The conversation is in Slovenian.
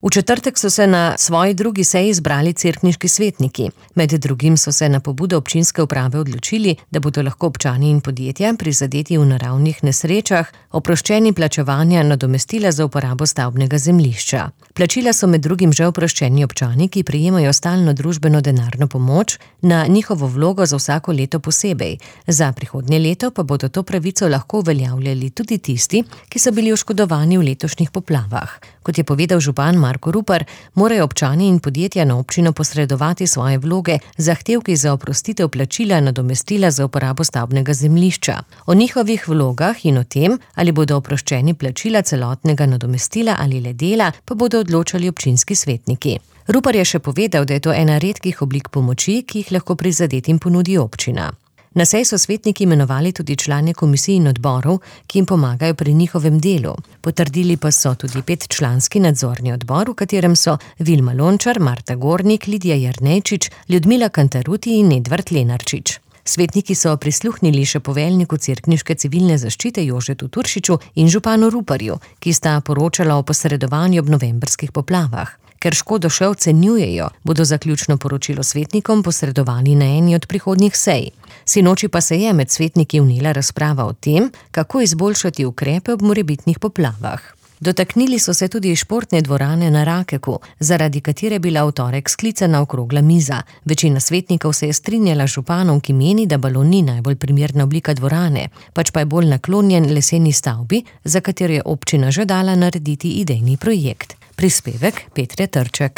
V četrtek so se na svoji drugi seji zbrali cerkniški svetniki. Med drugim so se na pobudo občinske uprave odločili, da bodo lahko občani in podjetja prizadeti v naravnih nesrečah oproščeni plačevanja nadomestila za uporabo stavbnega zemljišča. Plačila so med drugim že oproščeni občani, ki prejemajo stalno družbeno denarno pomoč, na njihovo vlogo za vsako leto posebej. Za prihodnje leto pa bodo to pravico lahko uveljavljali tudi tisti, ki so bili oškodovani v letošnjih poplavah. Kot je povedal župan Marko Rupar, morajo občani in podjetja na občino posredovati svoje vloge z zahtevki za oprostitev plačila nadomestila za uporabo stavbnega zemljišča. O njihovih vlogah in o tem, ali bodo oproščeni plačila celotnega nadomestila ali le dela, pa bodo odločali občinski svetniki. Rupar je še povedal, da je to ena redkih oblik pomoči, ki jih lahko prizadetim ponudi občina. Na seji so svetniki imenovali tudi člane komisij in odborov, ki jim pomagajo pri njihovem delu. Potrdili pa so tudi 5-članski nadzorni odbor, v katerem so Vilma Lončar, Marta Gornik, Lidija Jernejčič, Ljudmila Kantaruti in Edvard Lenarčič. Svetniki so prisluhnili še poveljniku cerkniške civilne zaščite Jožetu Turšiču in županu Ruparju, ki sta poročala o posredovanju ob novembrskih poplavah. Ker škodo še ocenjujejo, bodo zaključno poročilo svetnikom posredovali na eni od prihodnjih sej. Sinoči pa se je med svetniki vnela razprava o tem, kako izboljšati ukrepe ob morebitnih poplavah. Dotaknili so se tudi športne dvorane na Rakeku, zaradi katere je bila v torek sklicana okrogla miza. Večina svetnikov se je strinjala z županom, ki meni, da balon ni najbolj primerna oblika dvorane, pač pa je bolj naklonjen leseni stavbi, za katero je občina že dala narediti idejni projekt. Prispevek Petre Trček.